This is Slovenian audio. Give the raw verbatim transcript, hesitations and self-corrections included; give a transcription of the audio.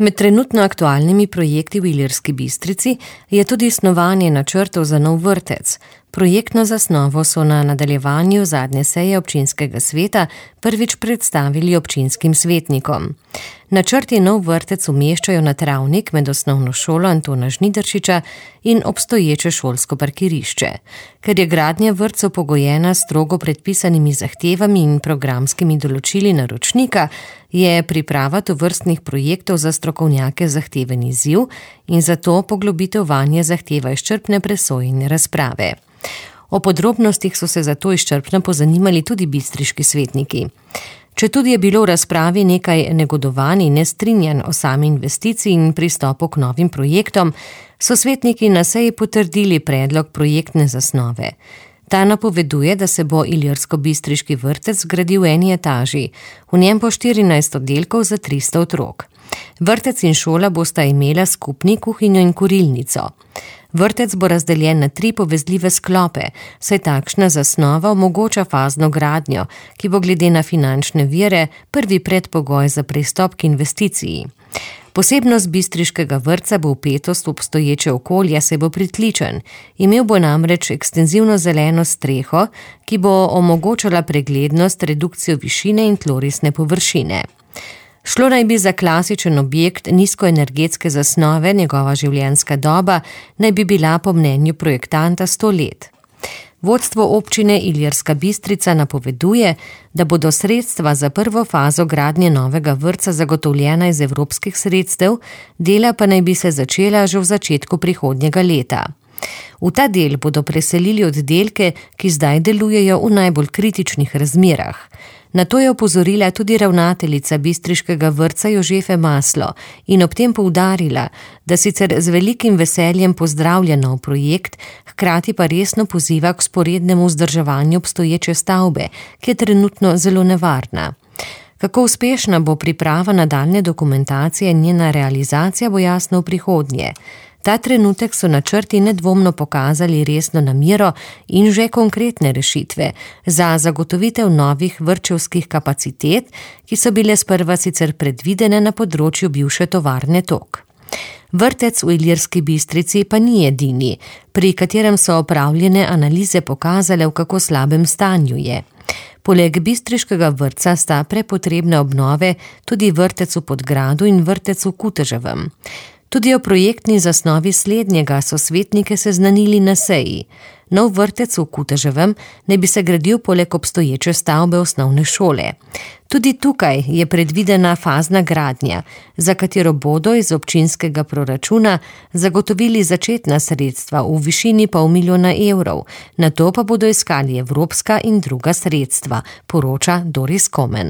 Med trenutno aktualnimi projekti v Ilirski Bistrici je tudi snovanje načrtov za nov vrtec. Projektno zasnovo so na nadaljevanju zadnje seje občinskega sveta prvič predstavili občinskim svetnikom. Načrti nov vrtec umeščajo na travnik med osnovno šolo Antona Žnidaršiča in obstoječe šolsko parkirišče. Ker je gradnja vrtcev pogojena strogo predpisanimi zahtevami in programskimi določili naročnika, je priprava tovrstnih projektov za strokovnjake zahteven izziv in zato poglobitev vanje zahteva izčrpne presoje in razprave. O podrobnostih so se zato izčrpno pozanimali tudi bistriški svetniki. Četudi je bilo v razpravi nekaj negodovanj in nestrinjanj o sami investiciji in pristopu k novim projektom, so svetniki na seji potrdili predlog projektne zasnove. Ta napoveduje, da se bo ilirsko-bistriški vrtec zgradil v eni etaži, v njem po štirinajst oddelkov za tristo otrok. Vrtec in šola bosta imela skupni kuhinjo in kurilnico. Vrtec bo razdeljen na tri povezljive sklope, saj takšna zasnova omogoča fazno gradnjo, ki bo glede na finančne vire prvi predpogoj za pristop k investiciji. Posebnost bistriškega vrtca bo vpetost v obstoječe okolje, saj bo pritličen. Imel bo namreč ekstenzivno zeleno streho, ki bo omogočala preglednost, redukcijo višine in tlorisne površine. Šlo naj bi za klasičen objekt nizkoenergetske zasnove, njegova življenjska doba naj bi bila po mnenju projektanta sto let. Vodstvo občine Ilirska Bistrica napoveduje, da bodo sredstva za prvo fazo gradnje novega vrtca zagotovljena iz evropskih sredstev, dela pa naj bi se začela že v začetku prihodnjega leta. V ta del bodo preselili oddelke, ki zdaj delujejo v najbolj kritičnih razmerah. Na to je opozorila tudi ravnateljica bistriškega vrtca Jožefe Maslo in ob tem poudarila, da sicer z velikim veseljem pozdravlja nov projekt, hkrati pa resno poziva k vzporednemu vzdrževanju obstoječe stavbe, ki je trenutno zelo nevarna. Kako uspešna bo priprava nadaljnje dokumentacije in njena realizacija, bo jasno v prihodnje. Ta trenutek so načrti nedvomno pokazali resno namero in že konkretne rešitve za zagotovitev novih vrtčevskih kapacitet, ki so bile sprva sicer predvidene na področju bivše tovarne Tok. Vrtec v Ilirski Bistrici pa ni edini, pri katerem so opravljene analize pokazale, v kako slabem stanju je. Poleg bistriškega vrtca sta prepotrebne obnove tudi vrtec v Podgradu in vrtec v Kuteževem. Tudi o projektni zasnovi slednjega so svetnike seznanili na seji. Nov vrtec v Kuteževem naj bi se gradil poleg obstoječe stavbe osnovne šole. Tudi tukaj je predvidena fazna gradnja, za katero bodo iz občinskega proračuna zagotovili začetna sredstva v višini pol milijona evrov, nato pa bodo iskali evropska in druga sredstva, poroča Doris Komen.